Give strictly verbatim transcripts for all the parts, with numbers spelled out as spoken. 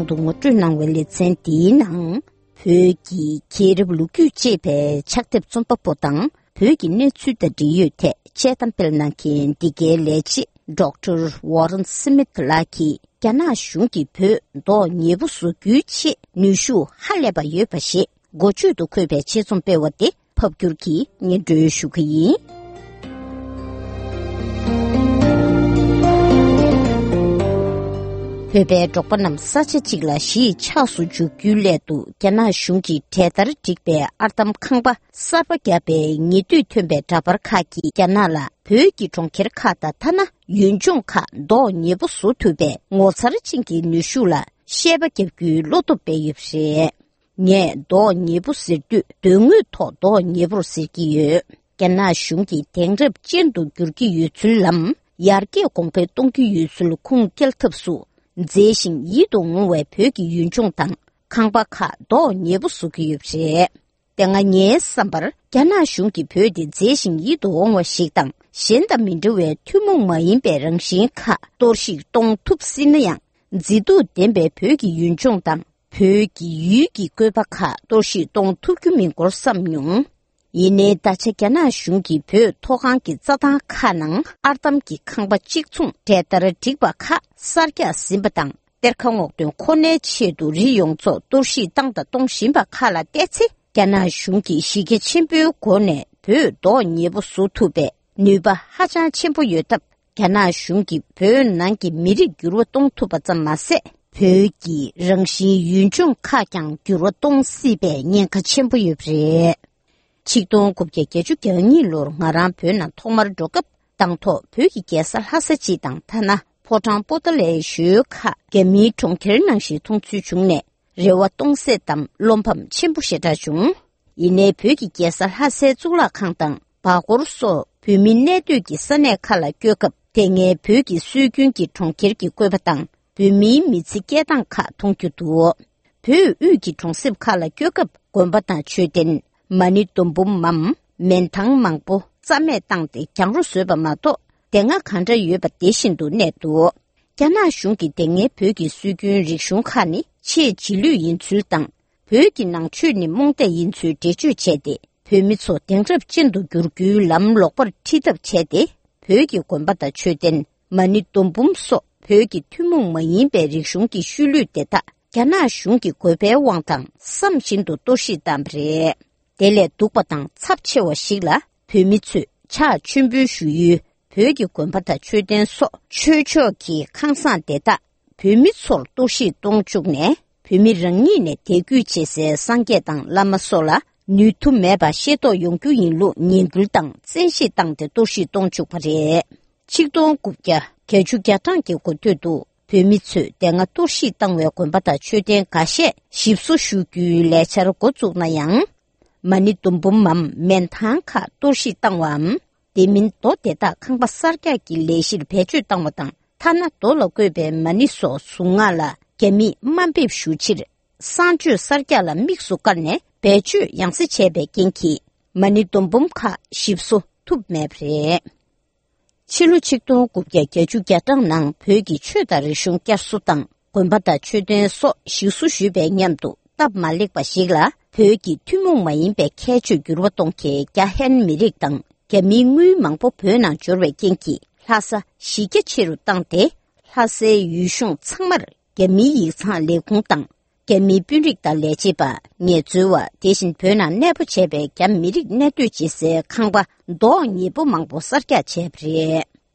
དུ་ངོ་སྤྲོད་གནང་བའི་ལེ་ཚན་འདིའི་ནང་། བོད་ཀྱི་རྒྱལ་རབས་ལོ་རྒྱུས་ཅེས་པའི་ཕྱག་དེབ་རྩོམ་པ་པོ་དང་བོད་ཀྱི་གནས་ཚུལ་དང་འབྲེལ་ཡོད་ཐད་དཔྱད་གཏམ་སྤེལ་གནང་མཁན་འདི་གའི་ལས་བྱེད་ཌོག་ཊར་ཝོ་རན་སི་མིད་ལགས་ཀྱིས་རྒྱ་ནག་གཞུང་གིས་བོད་མདོག་ཉེས་པོ་བཟོ་རྒྱུའི་ཆེད་ནུས་ཤུགས་ཧ་ལས་པ་ཡོད་པ་ཞེས་འགོ་བརྗོད་དུ་འཁོད་པའི་ཆེད་རྩོམ་སྤེལ་བ་དེ་ཕབ་སྒྱུར་གྱིས་སྙན་སྒྲོན་ཞུ་གི་ཡིན། བོད་པའི་འབྲོག་པ་རྣམས་ས་ཆ་གཅིག་ལ་གཞིས་ཆགས་སུ་འཇུག་རྒྱུའི་སླད་དུ་རྒྱ་ནག་གཞུང་གིས་གྲལ་བསྟར་བསྒྲིགས་པའི་ཨར་འདམ་ཁང་པ་གསར་པ་བརྒྱབ་པའི་ཉེ་དུས་ཐོན་པའི་འདྲ་པར་ཁག་གིས་རྒྱ་ནག་ལ་བོད་ཀྱི་གྲོང་ཁྱེར་ཁག་དང་ཐ་ན་ཡུལ་ལྗོངས་ཁག་མདོག་ཉེས་པོ་བཟོ་ཐུབ་པའི་ངོ་མཚར་ཅན་གྱི་ནུས་ཤུགས་ལ་བཤད་པ་རྒྱབ་རྒྱུའི་བློ་སྟོབས་སྤེལ་ཡོད་པ་རེད། ངས་མདོག་ཉེས་པོ་ཟེར་དུས་དོན་དངོས་ཐོག་མདོག་ཉེས་པོར་ཟེར་གྱི་ཡོད། རྒྱ་ནག་གཞུང་གིས་དེང་རབས་ཅན་དུ་བསྒྱུར་གྱི་ཡོད་ཚུལ་ལམ་ཡར་རྒྱས་གོང་འཕེལ་གཏོང་གི་ཡོད་ཚུལ་ཁུངས་སྐྱེལ་ཐབས་སུ། མཛེས་ཤིང་ཡིད་དུ་འོང་བའི་བོད་ཀྱི་ཡུལ་ལྗོངས་དང་ཁང་པ་ཁག་མདོག་ཉེས་པོ་བཟོ་གི་ཡོད་པ་རེད། དེ་སྔ་ངའི་བསམ་པར་རྒྱ་ནག་གཞུང་གིས་བོད་དེ་མཛེས་ཤིང་ཡིད་དུ་འོང་བ་ཞིག་དང་གཞན་དང་མི་འདྲ་བའི་ཐུན་མོང་མ་ཡིན་པའི་རང་བཞིན་ཁག་གཏོར་བཤིག་གཏོང་ཐུབ་སྲིད་ན་ཡང་། མཛེས་སྡུག་ལྡན་པའི་བོད་ཀྱི་ཡུལ་ལྗོངས་དང་བོད་ཀྱི་ཡུལ་གྱི་བཀོད་པ་ཁག་གཏོར་བཤིག་གཏོང་ཐུབ་རྒྱུ་མིན་སྐོར་བསམ་མྱོང་། ཡིན་ནའི་ད་ཆ་རྒྱ་ནག་གཞུང་གིས་བོད་མཐོ་སྒང་གི་རྩྭ་ཐང་ཁག་ནང་ཨར་འདམ་གྱི་ཁང་པ་གཅིག་མཚུངས་གྲལ་བསྟར་བསྒྲིགས་པ་ཁག་གསར་རྒྱག་ཟིན་པ་དང་གཏེར་ཁ་སྔོག་འདོན་ཁོ་ནའི་ཆེད་དུ་རི་ཡོངས་རྫོགས་གཏོར་བཤིག་བཏང་དང་གཏོང་བཞིན་པ་ཁག་ལ་བལྟས་ཚེ། རྒྱ་ནག་གཞུང་གིས་གཞི་རྒྱ་ཆེན་པོའི་སྒོ་ནས་བོད་མདོག་ཉེས་པོ་བཟོ་ཐུབ་པའི་ནུས་པ་ཧ་ཅང་ཆེན་པོ་ཡོད་སྟབས། རྒྱ་ནག་གཞུང་གིས་བོད་ནང་གི་མི་རིགས་འགྱུར་བ་གཏོང་ཐུབ་པ་ཙམ་མ་ཟད། བོད་ཀྱི་རང་བཞིན་ཡུལ་ལྗོངས་ཁག་ཀྱང་འགྱུར་བ་གཏོང་སྲིད་པའི་ཉེན་ཁ་ཆེན་པོ་ཡོད་པ་རེད། ཆིག་སྟོང་དགུ་བརྒྱ་བརྒྱད་ཅུ་གྱ་གཉིས་ལོར་ང་རང་བོད་ནང་ཐོག་མར་འགྲོ་སྐབས། དང་ཐོག་བོད་ཀྱི་རྒྱལ་ས་ལྷ་ས་སྤྱི་དང་ཐ་ན་ཕོ་བྲང་པོ་ཏཱ་ལའི་ཞོལ་ཁག་རྒྱ་མིའི་གྲོང་ཁྱེར་ནང་བཞིན་མཐོང་ཚུལ་བྱུང་ནས། རེ་བ་སྟོང་ཟད་དམ་བློ་ཕམ་ཆེན་པོ་ཞེ་དྲག་བྱུང་། ཡིན་ནའི་བོད་ཀྱི་རྒྱལ་ས་ལྷ་སའི་གཙུག་ལག་ཁང་དང་བར་སྐོར་སོགས་བོད་མི་གནས་སྡོད་ཀྱི་ས་གནས་ཁག་ལ་བསྐྱོད་སྐབས། དེ་སྔའི་བོད་ཀྱི་སྲོལ་རྒྱུན་གྱི་གྲོང་ཁྱེར་གྱི་བཀོད་པ་དང་བོད་མིའི་མི་ཚེ་སྐྱེལ་སྟངས་ཁག་མཐོང་རྒྱུ་འདུག་བོད་དབུས་ཀྱི་གྲོང་གསེབ་ཁག་ལ་བསྐྱོད་སྐབས་དགོན་པ་དང་མཆོད་རྟེན། མ་ཎི་སྡོང་འབུམ་མམ་མན་ཐང་མང་པོ་རྩ་མེད་བཏང་སྟེ་གྱང་རོ་བཟོས་པ་མ་གཏོགས། དེ་སྔ་གང་འདྲ་ཡོད་པ་དེ་བཞིན་དུ་གནས་འདུག་རྒྱ་ནག་གཞུང་གིས་དེ་སྔའི་བོད་ཀྱི་སྲོལ་རྒྱུན་རིག་གཞུང་ཁག་ནི་ཆེས་རྗེས་ལུས་ཡིན་ཚུལ་དང་། བོད་ཀྱི་ནང་ཆོས་ནི་རྨོངས་དད་ཡིན་ཚུལ་འགྲེལ་བརྗོད་བྱས་ཏེ། བོད་མི་ཚོ་དེང་རབས་ཅན་དུ་བསྒྱུར་རྒྱུའི་ལམ་ལོག་པར་ཁྲིད་ཐབས་བྱས་ཏེ། བོད་ཀྱི་དགོན་པ་དང་མཆོད་རྟེན། མ་ཎི་སྡོང་འབུམ་སོགས་བོད་ཀྱི་ཐུན་མོང་མ་ཡིན་པའི་རིག་གཞུང་གི་ཤུལ་ལུས་དེ་དག་རྒྱ་ནག་གཞུང་གི་དགོས་པའི་དབང་དང་བསམ་བཞིན་དུ་གཏོར་བཤིག་བཏང་བ་རེད། དེ་ལས་སྡུག་པ་དང་ཚབས་ཆེ་བ་ཞིག་ལ། བོད་མི་ཚོས་ཕྱག་མཆོད་འབུལ་ཞུ་ཡུལ་བོད་ཀྱི་དགོན་པ་དང་མཆོད་རྟེན་སོགས་ཆོས་ཕྱོགས་ཀྱི་ཁང་བཟང་དེ་དག་བོད་མི་ཚོར་གཏོར་བཤིག་གཏོང་བཅུག་ནས། བོད་མི་རང་ཉིད་ནས་དད་གུས་བྱེད་སའི་སངས་རྒྱས་དང་བླ་མ་སོགས་ལ་ནུས་མཐུ་མེད་པ་ཤེས་རྟོགས་ཡོང་རྒྱུ་ཡིན་ལུགས་ངན་སྐུལ་དང་བཙན་ཤེད་བཏང་སྟེ་གཏོར་བཤིག་གཏོང་བཅུག་པ་རེད། ཆིག་སྟོང་དགུ་བརྒྱ་བརྒྱད་ཅུ་གྱ་གྲངས་ཀྱི་འགོ་སྟོད་དུ། བོད་མི་ཚོས་དེ་སྔ་གཏོར་བཤིག་བཏང་བའི་དགོན་པ་དང་མཆོད་རྟེན་འགའ་ཤས་ཞིབ་བཟོ་ཞུ་རྒྱུའི་ལས་འཆར་འགོ་བཙུགས་ན་ཡང་། མ་ཎི་སྡོང་འབུམ་མམ་མན་ཐང་ཁག་གཏོར་བཤིག་བཏང་བའམ། དེ་མིན་རྡོ་དེ་དག་ཁང་པ་གསར་རྒྱག་གི་ལས་གཞིར་བེད་སྤྱོད་བཏང་བ་དང་། ཐ་ན་རྡོ་ལ་བརྐོས་པའི་མ་ཎི་སོགས་གཟུངས་སྔགས་ལ་རྒྱ་མིས་དམའ་འབེབས་ཞུ་ཕྱིར། གསང་སྤྱོད་གསར་རྒྱག་ལ་དམིགས་སུ་བཀར་ནས་བེད་སྤྱོད་ཡང་སེ་བྱས་པའི་རྐྱེན་གྱིས། མ་ཎི་སྡོང་འབུམ་ཁག་ཞིབ་བཟོ་ཐུབ་མེད་པ་རེད། ཕྱི་ལོ་ཆིག་སྟོང་དགུ་བརྒྱ་བརྒྱད་ཅུ་གྱ་གྲངས་ནང་བོད་ཀྱི་ཆོས་དང་རིག་གཞུང་བསྐྱར་གསོ་དང་། དགོན་པ་དང་མཆོད་རྟེན་སོགས་ཞིག་གསོ་ཞུས་པའི་མཉམ་དུ། སྟབས་མ་ལེགས་པ་ཞིག་ལ། བོད་ཀྱི་ཐུན་མོང་མ་ཡིན་པའི་ཁྱད་ཆོས་འགྱུར་བ་གཏོང་མཁན་རྒྱ་ཧན་མི་རིགས་དང་། རྒྱ་མིའི་དངུལ་མང་པོ་བོད་ནང་འབྱོར་བའི་རྐྱེན་གྱིས། ལྷ་ས་གཞི་རྒྱ་ཆེ་རུ་བཏང་སྟེ། ལྷ་སའི་ཡུལ་གཞུང་ཚང་མར། རྒྱ་མིའི་ཡིག་ཚང་ལས་ཁུངས་དང་། རྒྱ་མིའི་དཔོན་རིགས་དང་ལས་བྱེད་པ། ངལ་རྩོལ་བ། དེ་བཞིན་བོད་ནང་གནས་སྤོ་བྱས་པའི་རྒྱ་མི་རིགས་གནས་སྡོད་བྱེད་སའི་ཁང་པ་མདོག་ཉེས་པོ་མང་པོ་གསར་རྒྱག་བྱས་པ་རེད།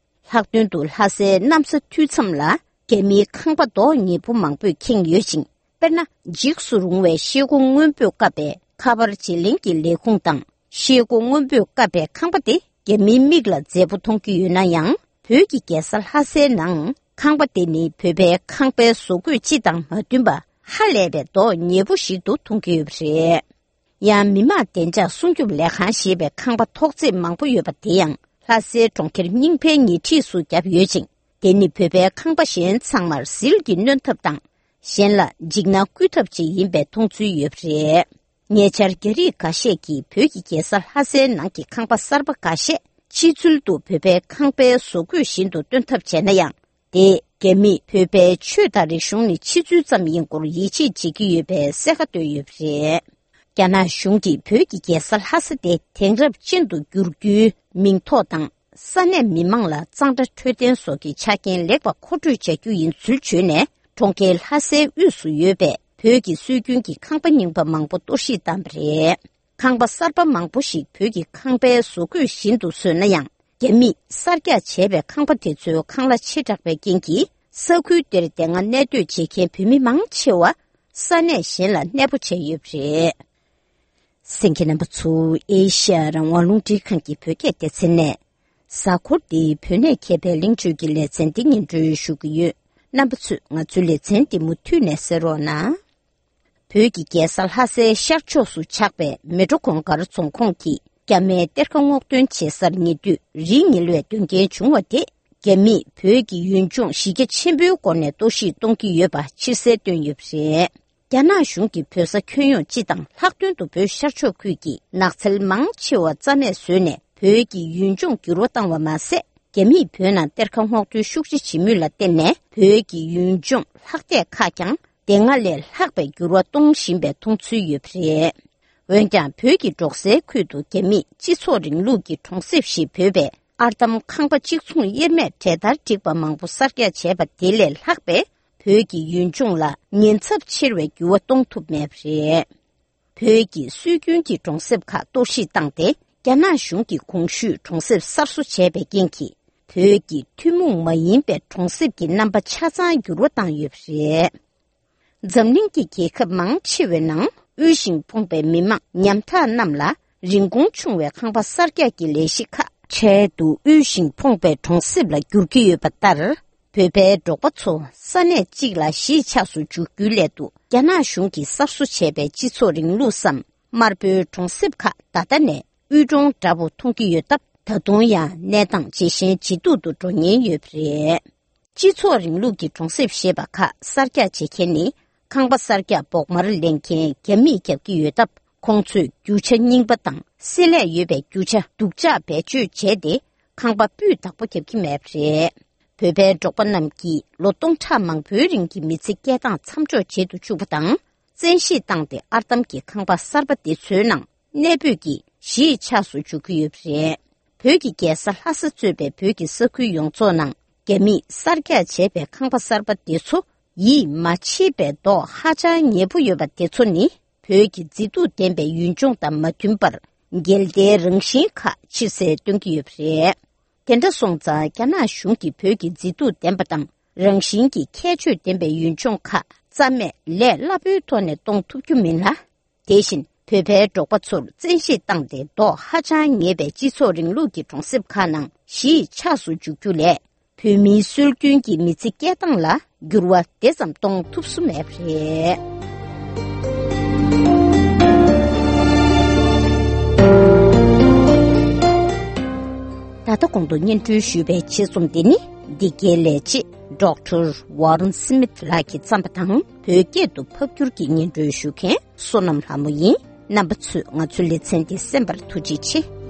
ལྷག་དོན་དུ་ལྷ་སའི་གནམ་ས་མཐོའི་མཚམས་ལ་རྒྱ་མིའི་ཁང་པ་མདོག་ཉེས་པོ་མང་པོས་ཁེངས་ཡོད་ཅིང་། དཔེར་ན། འཇིགས་སུ་རུང་བའི་ཤེལ་སྒོ་སྔོན་པོས་བཀབ་པའི་ཁ་པར་བརྗེ་ལེན་གྱི་ལས་ཁུངས་དང་། ཤེལ་སྒོ་སྔོན་པོས་བཀབ་པའི་ཁང་པ་དེ་རྒྱ་མིའི་མིག་ལ་མཛེས་པོ་མཐོང་གི་ཡོད་ན་ཡང་། བོད་ཀྱི་རྒྱལ་ས་ལྷ་སའི་ནང་ཁང་པ་དེ་ནི་བོད་པའི་ཁང་པའི་བཟོ་བཀོད་སྤྱི་དང་མ་མཐུན་པ་ཧ་ལས་པའི་མདོག་ཉེས་པོ་ཞིག་ཏུ་མཐོང་གི་ཡོད་པ་རེད། ཡང་མི་དམངས་བདེ་འཇགས་སྲུང་སྐྱོབ་ལས་ཁང་ཞེས་པའི་ཁང་པ་ཐོག་བརྩེགས་མང་པོ་ཡོད་པ་དེ་ཡང་ལྷ་སའི་གྲོང་ཁྱེར་རྙིང་པའི་ཉེ་འཁྲིས་སུ་བརྒྱབ་ཡོད་ཅིང་། དེ་ནི་བོད་པའི་ཁང་པ་གཞན་ཚང་མར་ཟིལ་གྱིས་གནོན་ཐབས་དང་། གཞན་ལ་འཇིགས་སྣང་བསྐུལ་ཐབས་བཅས་ཡིན་པའི་མཐོང་ཚུལ་ཡོད་པ་རེད། ཉེ་ཆར་རྒྱ་རིགས་འགའ་ཤས་ཀྱིས་བོད་ཀྱི་རྒྱལ་ས་ལྷ་སའི་ནང་གི་ཁང་པ་གསར་པ་འགའ་ཤས་ཕྱི་ཚུལ་དུ་བོད་པའི་ཁང་པའི་བཟོ་བཀོད་བཞིན་དུ་སྟོན་ཐབས་བྱས་ན་ཡང་། དེས་ རྒྱ་མིས་བོད་པའི་ཆོས་དང་རིག་གཞུང་ནི་ཕྱི་ཚུལ་ཙམ་ཡིན་སྐོར་ཡིད་ཆེས་བྱེད་ཀྱི་ཡོད་པའི་གསལ་ཁ་བཏོན་ཡོད་པ་རེད། རྒྱ་ནག་གཞུང་གིས་བོད་ཀྱི་རྒྱལ་ས་ལྷ་ས་དེ་དེང་རབས་ཅན་དུ་བསྒྱུར་རྒྱུའི་མིང་ཐོག་དང་། ས་གནས་མི་མང་ལ་གཙང་སྦྲ་འཕྲོད་བསྟེན་སོགས་ཀྱི་ཆ་རྐྱེན་ལེགས་པ་མཁོ་སྤྲོད་བྱ་རྒྱུ་ཡིན་ཚུལ་བརྗོད་ནས། གྲོང་ཁྱེར་ལྷ་སའི་དབུས་སུ་ཡོད་པའི་བོད་ཀྱི་སྲོལ་རྒྱུན་གྱི་ཁང་པ་རྙིང་པ་མང་པོ་གཏོར་བཤིག་བཏང་བ་རེད། ཁང་པ་གསར་པ་མང་པོ་ཞིག་བོད་ཀྱི་ཁང་པའི་བཟོ་བཀོད་བཞིན་དུ་བཟོས་ན་ཡང་། རྒྱ་མིས་གསར་རྒྱག་བྱས་པའི་ཁང་པ་དེ་ཚོའི་ཁང་གླ་ཆེ་དྲགས་པའི་རྐྱེན་གྱིས། ས་ཁུལ་དེར་དེ་སྔ་གནས་སྡོད་བྱེད་མཁན་བོད་མི་མང་ཆེ་བ་ས་གནས་གཞན་ལ་གནས་སྤོ་བྱས་ཡོད་པ་རེད། གསན་མཁན་རྣམ་པ་ཚོ། ཨེ་ཤ་ཡ་རང་དབང་རླུང་འཕྲིན་ཁང་གི་བོད་སྐད་སྡེ་ཚན་ནས། གཟའ་འཁོར་འདིའི་བོད་གནས་མཁས་པའི་གླེང་བརྗོད་ཀྱི་ལེ་ཚན་འདི་སྙན་སྒྲོན་ཞུ་གི་ཡོད། རྣམ་པ་ཚོས་ང་ཚོའི་ལེ་ཚན་འདི་མུ་མཐུད་ནས་གསན་རོགས་གནང་། བོད་ཀྱི་རྒྱལ་ས་ལྷ་སའི་ཤར་ཕྱོགས་སུ་ཆགས་པའི་མལ་གྲོ་གུང་དཀར་རྫོང་ཁོངས་ཀྱི་རྒྱ་མིའི་གཏེར་ཁ་སྔོག་འདོན་བྱེད་སར་ཉེ་དུས་རི་ཉིལ་བའི་དོན་རྐྱེན་བྱུང་བ་དེ། རྒྱ་མིས་བོད་ཀྱི་ཡུལ་ལྗོངས་གཞི་རྒྱ་ཆེན་པོའི་སྒོ་ནས་གཏོར་བཤིག་གཏོང་གི་ཡོད་པ་ཕྱིར་གསལ་བཏོན་ཡོད་པ་རེད། རྒྱ་ནག་གཞུང་གིས་བོད་ས་ཁྱོན་ཡོངས་སྤྱི་དང་ལྷག་དོན་དུ་བོད་ཤར་ཕྱོགས་ཁུལ་གྱི་ནགས་ཚལ་མང་ཆེ་བ་རྩ་མེད་བཟོས་ནས་བོད་ཀྱི་ཡུལ་ལྗོངས་འགྱུར་བ་བཏང་བ་མ་ཟད། རྒྱ་མིས་བོད་ནང་གཏེར་ཁ་སྔོག་འདོན་ཤུགས་ཆེ་བྱེད་མུས་ལ་བརྟེན་ནས་བོད་ཀྱི་ཡུལ་ལྗོངས་ལྷག་བསྡད་ཁག་ཀྱང་དེ་སྔ་ལས་ལྷག་པའི་འགྱུར་བ་གཏོང་བཞིན་པའི་མཐོང་ཚུལ་ཡོད་པ་རེད། འོན་ཀྱང་བོད་ཀྱི་འབྲོག་སའི་ཁུལ་དུ་རྒྱ་མིས་སྤྱི་ཚོགས་རིང་ལུགས་ཀྱི་གྲོང་གསེབ་ཞེས་འབོད་པའི་ཨར་འདམ་ཁང་པ་གཅིག་མཚུངས་དབྱེར་མེད་གྲལ་སྟར་བསྒྲིགས་པ་མང་པོ་གསར་རྒྱག་བྱས་པ་དེ་ལས་ལྷག་པའི་བོད་ཀྱི་ཡུལ་ལྗོངས་ལ་ཉེན་ཚབས་ཆེ་བའི་འགྱུར་བ་གཏོང་ཐུབ་མེད་པ་རེད། བོད་ཀྱི་སྲོལ་རྒྱུན་གྱི་གྲོང་གསེབ་ཁག་གཏོར་བཤིག་བཏང་སྟེ། རྒྱ་ནག་གཞུང་གིས་གོང་ཞུས་གྲོང་གསེབ་གསར་བཟོ་བྱས་པའི་རྐྱེན་གྱིས། བོད་ཀྱི་ཐུན་མོང་མ་ཡིན་པའི་གྲོང་གསེབ་ཀྱི་རྣམ་པ་ཆ་ཚང་འགྱུར་བ་བཏང་ཡོད་པ་རེད། འཛམ་གླིང་གི་རྒྱལ་ཁབ་མང་ཆེ་བའི་ནང་དབུལ་ཞིང་ཕོངས་པའི་མི་མང་ཉམ་ཐག་རྣམས་ལ་རིན་གོང་ཆུང་བའི་ཁང་པ་གསར་རྒྱག་གི་ལས་གཞི་ཁག་འཕྲལ་དུ་དབུལ་ཞིང་ཕོངས་པའི་གྲོང་གསེབ་ལ་བསྒྱུར་གྱི་ཡོད་པ་ལྟར། བོད་པའི་འབྲོག་པ་ཚོ་ས་གནས་གཅིག་ལ་གཞིས་ཆགས་སུ་འཇུག་རྒྱུའི་སླད་དུ། རྒྱ་ནག་གཞུང་གིས་གསར་བཟོ་བྱས་པའི་སྤྱི་ཚོགས་རིང་ལུགས་སམ། དམར་པོའི་གྲོང་གསེབ་ཁག་ད་ལྟ་ནས་དབུལ་གྲོང་འདྲ་པོ་མཐོང་གི་ཡོད་སྟབས། ད་དུང་ཡང་གནས་སྟངས་ཇེ་ཞན་ཇེ་སྡུག་ཏུ་འགྲོ་ཉེན་ཡོད་པ་རེད། སྤྱི་ཚོགས་རིང་ལུགས་ཀྱི་གྲོང་གསེབ་ཞེས་པ་ཁག་གསར་རྒྱག་བྱེད་མཁན་ནི། ཁང་པ་གསར་རྒྱག་བོགས་མར་ལེན་མཁན་རྒྱ་མིས་རྒྱབ་ཀྱི་ཡོད་སྟབས། ཁོང་ཚོས་རྒྱུ་ཆ་རྙིང་པ་དང་། བསྲེ་ལྷད་ཡོད་པའི་རྒྱུ་ཆ་སྡུག་ཅག་བེད་སྤྱོད་བྱས་ཏེ། ཁང་པ་སྤུས་དག་པོ་རྒྱབ་ཀྱི་མེད་པ་རེད། བོད་པའི་འབྲོག་པ་རྣམས་ཀྱིས་ལོ་སྟོང་ཕྲག་མང་པོའི་རིང་གི་མི་ཚེ་སྐྱེལ་སྟངས་མཚམས་འཇོག་བྱེད་དུ་བཅུག་པ་དང་། བཙན་ཤེད་བཏང་སྟེ་ཨར་འདམ་གྱི་ཁང་པ་གསར་པ་དེ་ཚོའི་ནང་གནས་སྤོས་ཀྱིས་གཞིས་ཆགས་སུ་འཇུག་གི་ཡོད་པ་རེད། བོད་ཀྱི་རྒྱལ་ས་ལྷ་ས་གཙོས་པའི་བོད་ཀྱི་ས་ཁུལ་ཡོངས་རྫོགས་ནང་རྒྱ་མིས་གསར་རྒྱག་བྱས་པའི་ཁང་པ་གསར་པ་དེ་ཚོ་ཡིད་མ་ཆེས་པའི་མདོག་ཧ་ཅང་ཉེས་པོ་ཡོད་པ་དེ་ཚོ་ནི། བོད་ཀྱི་མཛེས་སྡུག་ལྡན་པའི་ཡུལ་ལྗོངས་དང་མ་མཐུན་པར། འགལ་ཟླའི་རང་བཞིན་ཁག་ཕྱིར་གསལ་སྟོན་གྱི་ཡོད་པ་རེད། དེ་འདྲ་སོང་ཙང་། རྒྱ་ནག་གཞུང་གིས་བོད་ཀྱི་མཛེས་སྡུག་ལྡན་པ་དང་། རང་བཞིན་གྱི་ཁྱད་ཆོས་ལྡན་པའི་ཡུལ་ལྗོངས་ཁག་རྩ་མེད་ལས་སླ་པོའི་ཐོག་ནས་གཏོང་ཐུབ་རྒྱུ་མིན་ལ། དེ་བཞིན་བོད་པའི་འབྲོག་པ་ཚོར་བཙན་ཤེད་བཏང་སྟེ། མདོག་ཧ་ཅང་ཉེས་པའི་སྤྱི་ཚོགས་རིང་ལུགས་ཀྱི་གྲོང་གསེབ་ཁག་ནང་གཞིས་ཆགས་སུ་འཇུག་རྒྱུ་ལས། བོད་མིའི་སྲོལ་རྒྱུན་གྱི་མི་ཚེ་སྐྱེལ་སྟངས་ལ་འགྱུར་བ་དེ་ཙམ་གཏོང་ཐུབ་སུ་མེད་པ་རེད། ད་ལྟ་གོང་དུ་སྙན་སྒྲོན་ཞུས་པའི་ཆེད་རྩོམ་འདི་ནི། འདི་གའི་ལས་བྱེད་ཌོག་ཊར་ཝོ་རན་སི་མིད་ལགས་ཀྱིས་བརྩམས་པ་དང་། བོད་སྐད་དུ་ཕབ་བསྒྱུར་གྱིས་སྙན་སྒྲོན་ཞུ་མཁན་བསོད་ནམས་ལྷ་མོ་ཡིན། རྣམ་པ་ཚོས་ང་ཚོའི་ལེ་ཚན་འདི་གསན་པར་ཐུགས་རྗེ་ཆེ།